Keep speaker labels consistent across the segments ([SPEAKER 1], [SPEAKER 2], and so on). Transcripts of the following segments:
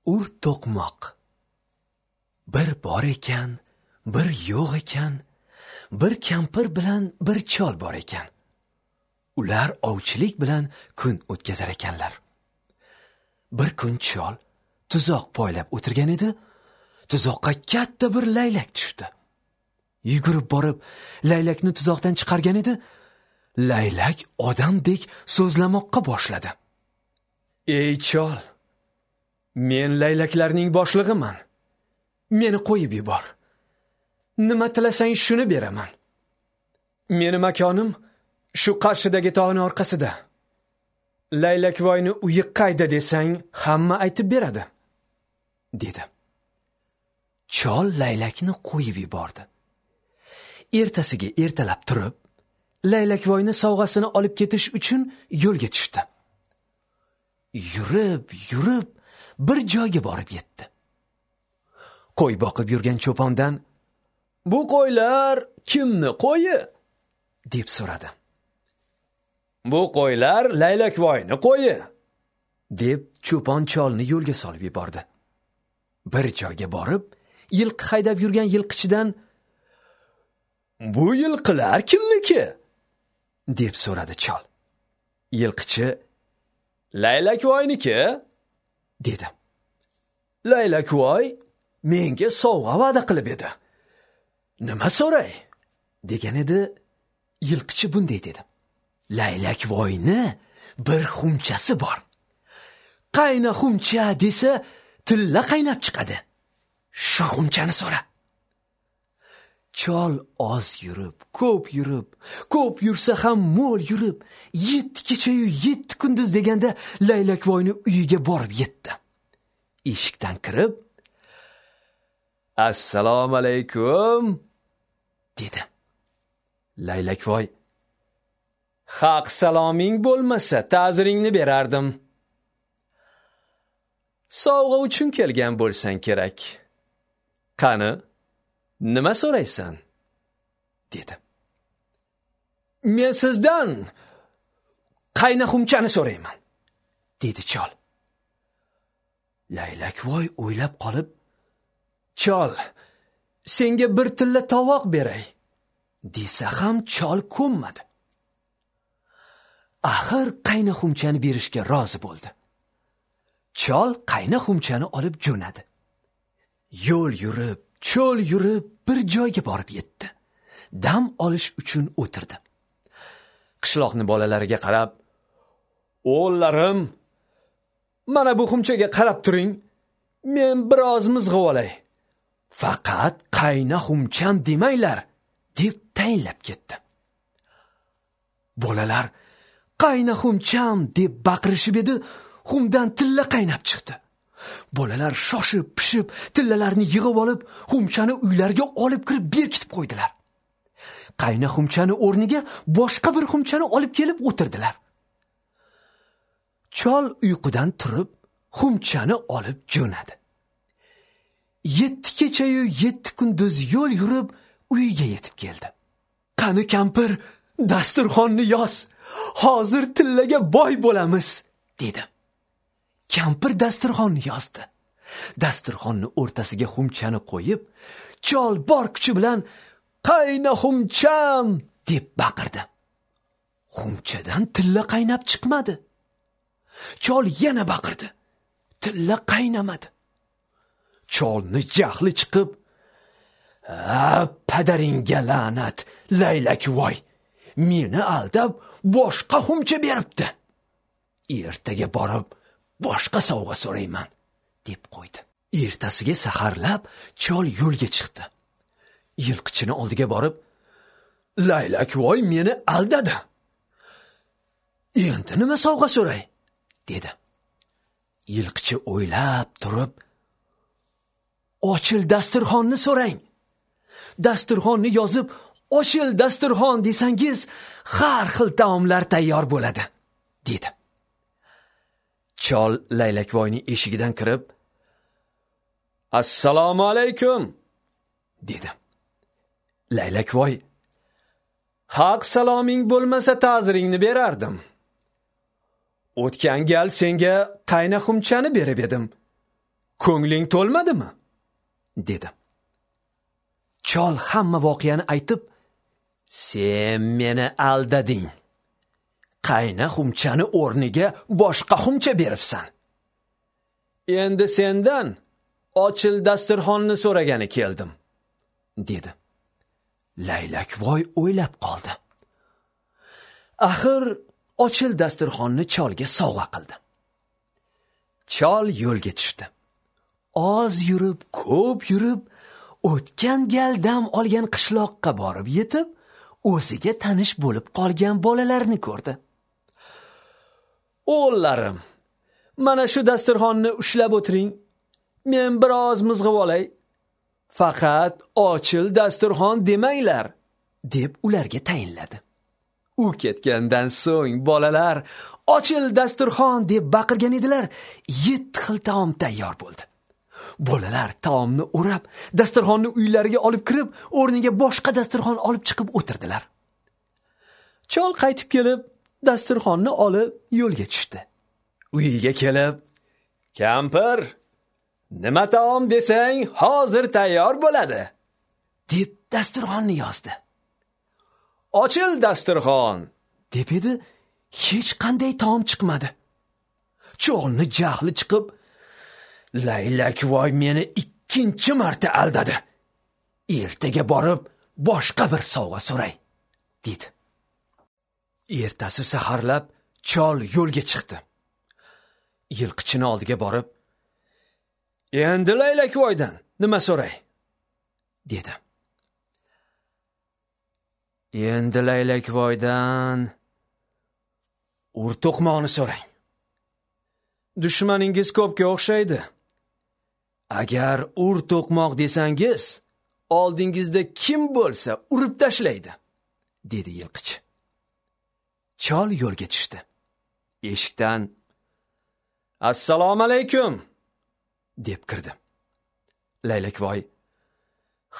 [SPEAKER 1] Ur to'qmoq. Bir bor ekan, bir yo'q ekan, bir kampir bilan bir chol bor ekan. Ular ovchilik bilan kun o'tkazar ekanlar. Bir kun chol tuzoq poylab o'tirgan edi, tuzoqqa katta bir laylak tushdi. Yugurib borib laylakni tuzoqdan chiqargan edi, laylak odamdek so'zlamoqqa boshladi. "Ey chol, men laylaklarning boshlig'iman. Meni qo'yib yubor. Nima tilasang shuni beraman. Meni makonim shu qarshidagi tog'ning orqasida. Laylakvoyni uyi qayda desang, hamma aytib beradi", dedi. Chol laylakni qo'yib yubordi. Ertasiga ertalab turib, laylakvoyni sovg'asini olib ketish uchun yo'lga tushdi. Yurib, yurib bir joyga borib yetdi. Qo'y boqib yurgan cho'pondan: "Bu qo'ylar kimni qo'yi?" deb so'radi. "Bu qo'ylar laylakvoyni qo'yi", deb cho'pon cholni yo'lga solib yubordi. Bir joyga borib, yilqi haydab yurgan yilqichidan: "Bu yilqilar kimniki?" deb so'radi chol. Yilqichi: "Laylakvoyniki", dedi. "Laylakvoy menga sovg'a va'da qilib edi. Nima so'ray?" degan edi. Yilqichi bunday dedi: "Laylakvoyni bir xumchasi bor. Qayna xumcha desa, tilla qaynab chiqadi. Shu xumchani so'ra." Chol oz yurib, ko'p yurib, ko'p yursa ham mo'l yurib, 7 kecha-yu 7 kunduz deganda laylakvoyni uyiga borib yetdi. Eshikdan kirib, "Assalomu alaykum", dedi. Laylakvoy: "Haq saloming bo'lmasa, ta'ziringni berardim. Sovg'a uchun kelgan bo'lsang kerak. Qani, nima so'raysan?" dedi. "Men sizdan qayna xumchani so'rayman", dedi chol. Laylakvoy o'ylab qolib, "Chol, senga bir tilla tovoq beray", desa ham chol ko'nmadi. Axir qayna xumchani berishga rozi bo'ldi. Chol qayna xumchani olib jo'nadi. Yo'l yurib, cho'l yurib bir joyga borib yetdi. Dam olish uchun o'tirdi. Qishloqni bolalariga qarab: "O'g'llarim, mana bu xumchaga qarab turing. Men biroz mizg'ib olay. Faqat qayna xumcham demanglar", deb tayinlab ketdi. Bolalar "Qayna xumcham" deb baqirishib edi, xumdan tilla qaynab chiqdi. Bolalar shoshib pishib tillalarni yig'ib olib, xumchani uylariga olib kirib berkitib qo'ydilar. Qayna xumchani o'rniga boshqa bir xumchani olib kelib o'tirdilar. Chol uyqudan turib, xumchani olib jo'nadi. 7 kecha-yu 7 kunduz yo'l yurib uyiga yetib keldi. "Qani kampir, dasturxonni yoz. Hozir tillaga boy bo'lamiz", dedi. Kampir dasturxonni yozdi. Dasturxonni o'rtasiga xumchani qo'yib, chol bor kuchi bilan "Qayna xumcham" deb baqirdi. Xumchadan tilla qaynab chiqmadi. Chol yana baqirdi. Tilla qaynamadi. Cholni jahli chiqib, "A, padaringga la'nat, laylakvoy, meni aldab boshqa xumcha beribdi. Ertaga borib boshqa sovg'a so'rayman", deb qo'ydi. Ertasiga saharlab chol yo'lga chiqdi. Yilqichini oldiga borib, "Laylakvoy meni aldadi. Endi nima sovg'a so'ray?" dedi. Yilqichi o'ylab turib, "Ochil dasturxonni so'rang. Dasturxonni yozib, ochil dasturxon desangiz, har xil taomlar tayyor bo'ladi", dedi. Chol laylakvoyning eshigidan kirib, "Assalomu alaykum", dedi. Laylakvoy: "Haq saloming bo'lmasa ta'ziringni berardim. O'tgan gal senga qayna xumchani berib edim. Ko'ngling to'lmadimi? Dedi. Chol hamma voqeani aytib, sen meni aldading. Qayna xumchani o'rniga boshqa xumcha beribsan. Endi sendan ochil dasturxonni so'ragani keldim, dedi. Laylakvoy o'ylab qoldi. Axir ochil dasturxonni cholga sovg'a qildi. Chol yo'lga tushdi. Oz yurib, ko'p yurib, o'tgan gal dam olgan qishloqqa borib yetib, o'ziga tanish bo'lib qolgan bolalarni ko'rdi. O'g'illarim, mana shu dasturxonni ushlab o'tiring. Men biroz mizg'ib olay. Faqat ochil dasturxon demanglar, deb ularga tayinladi. U ketgandan so'ng bolalar ochil dasturxon deb baqirgan edilar. 7 xil taom tayyor bo'ldi. Bolalar taomni o'rab, dasturxonni uylariga olib kirib, o'rniga boshqa dasturxon olib chiqib o'tirdilar. Chol qaytib kelib, dasturxonni olib yo'lga tushdi. Uyiga kelib, kampir, nima taom desang, hozir tayyor bo'ladi, deb dasturxonni yozdi. Ochil dasturxon, deb edi, hech qanday taom chiqmadi. Cholni jahli chiqib, Laylakvoy meni 2-chi marta aldadi. Ertaga borib boshqa bir sovg'a so'ray, dedi. Ertasi saharlab chol yo'lga chiqdi. Yilqichini oldiga borib, endi Laylakvoydan nima so'ray, dedi. Endi Laylakvoydan ur to'qmoqni so'rang. Dushmaningiz ko'pga o'xshaydi. Agar ur to'qmoq desangiz, oldingizda kim bo'lsa urib tashlaydi, dedi yilqichi. Chol yo'lga tushdi. Eshikdan assalomu alaykum deb kirdi. Laylakvoy,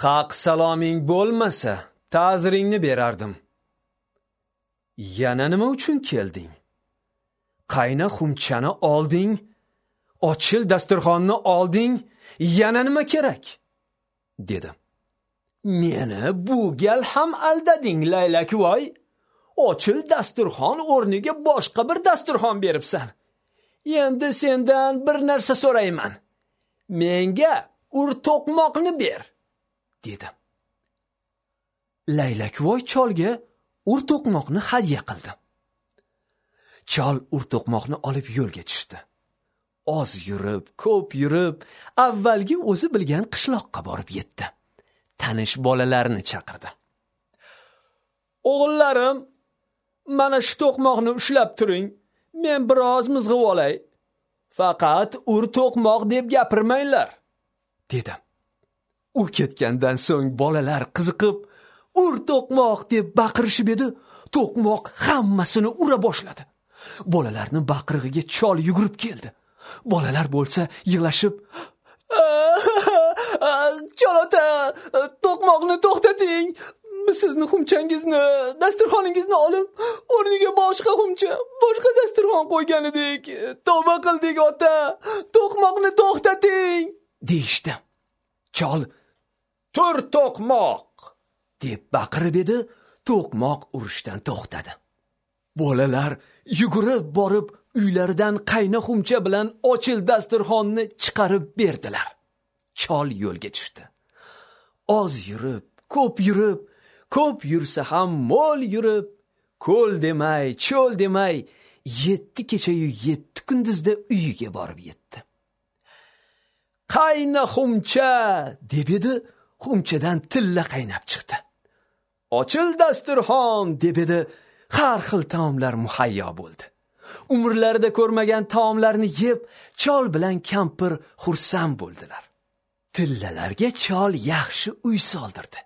[SPEAKER 1] haq saloming bo'lmasa, ta'ziringni berardim. Yana nima uchun kelding? Qayna xumchani olding, ochil dasturxonni olding, yana nima kerak? Dedi. Meni bu gal ham aldading, Laylakvoy. Ochil dasturxon o'rniga boshqa bir dasturxon beribsan. Endi sendan bir narsa so'rayman. Menga ur to'qmoqni ber, dedi. Laylakvoy cholga ur to'qmoqni hadya qildi. Chol ur to'qmoqni olib yo'lga tushdi. Oz yurib, ko'p yurib, avvalgi o'zi bilgan qishloqqa borib yetdi. Tanish bolalarni chaqirdi. O'g'illarim, mana shu to'qmoqni ushlab turing. Men biroz mizg'ib olay. Faqat ur to'qmoq deb gapirmanglar, dedi. U ketgandan so'ng bolalar qiziqib, ur to'qmoq deb baqirishib edi, to'qmoq hammasini ura boshladi. Bolalarning baqirig'iga chol yugurib keldi. Bolalar bo'lsa yig'lashib, chol ota, to'qmoqni to'xtating. Biz sizni xumchangizni, dasturxoningizni olib, o'rniga boshqa xumcha, boshqa dasturxon qo'ygan edik. Tavba qildik ota, to'qmoqni to'xtating, deyishdi. Chol, tur to'qmoq, deb baqirib edi, to'qmoq urishdan to'xtadi. Bolalar yugurib borib uylaridan qayna xumcha bilan ochil dasturxonni chiqarib berdilar. Chol yo'lga tushdi. Oz yurib, ko'p yurib, ko'p yursa ham mo'l yurib, ko'l demay, cho'l demay, 7 kechayu 7 kunduzda uyiga borib yetdi. Qayna xumcha, deb edi, xumchadan tilla qaynab chiqdi. Ochil dasturxon, deb edi, har xil taomlar muhayyo bo'ldi. Umrlarida ko'rmagan taomlarni yeb, chol bilan kampir xursand bo'ldilar. Tillalarga chol yaxshi uy soldirdi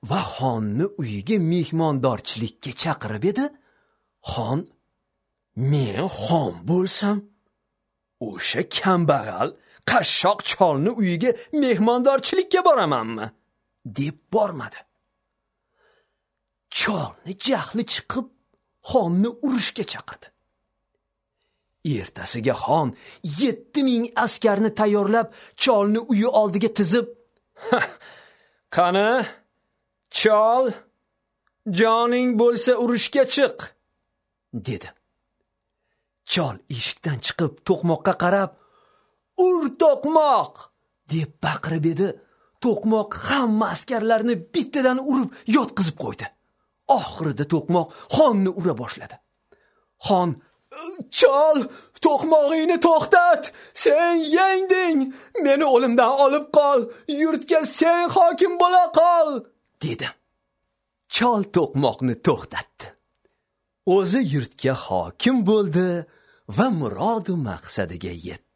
[SPEAKER 1] va xonni uyiga mehmondorchilikka chaqirib edi. Xon, men xon bo'lsam, o'sha kambag'al qashshoq cholni uyiga mehmondorchilikka boramanmi, deb bormadi. Cholni jahli chiqib, xonni urushga chaqirdi. Ertasiga xon 7000 askarni tayyorlab, cholni uyi oldiga tizib, "Qani, chol, joning bo'lsa urushga chiq", dedi. Chol eshikdan chiqib to'qmoqqa qarab, "Ur to'qmoq!" deb baqirib edi. To'qmoq hamma askarlarni bittadan urib yotqizib qo'ydi. Oxirida to'qmoq xonni ura boshladi. Xon: "Chol, to'qmog'ingni to'xtat! Sen yengding! Meni o'limdan olib qol! Yurtga sen hokim bo'la qol!" dedi. Chol to'qmoqni to'xtatdi. O'zi yurtga hokim bo'ldi va murod maqsadiga yetdi.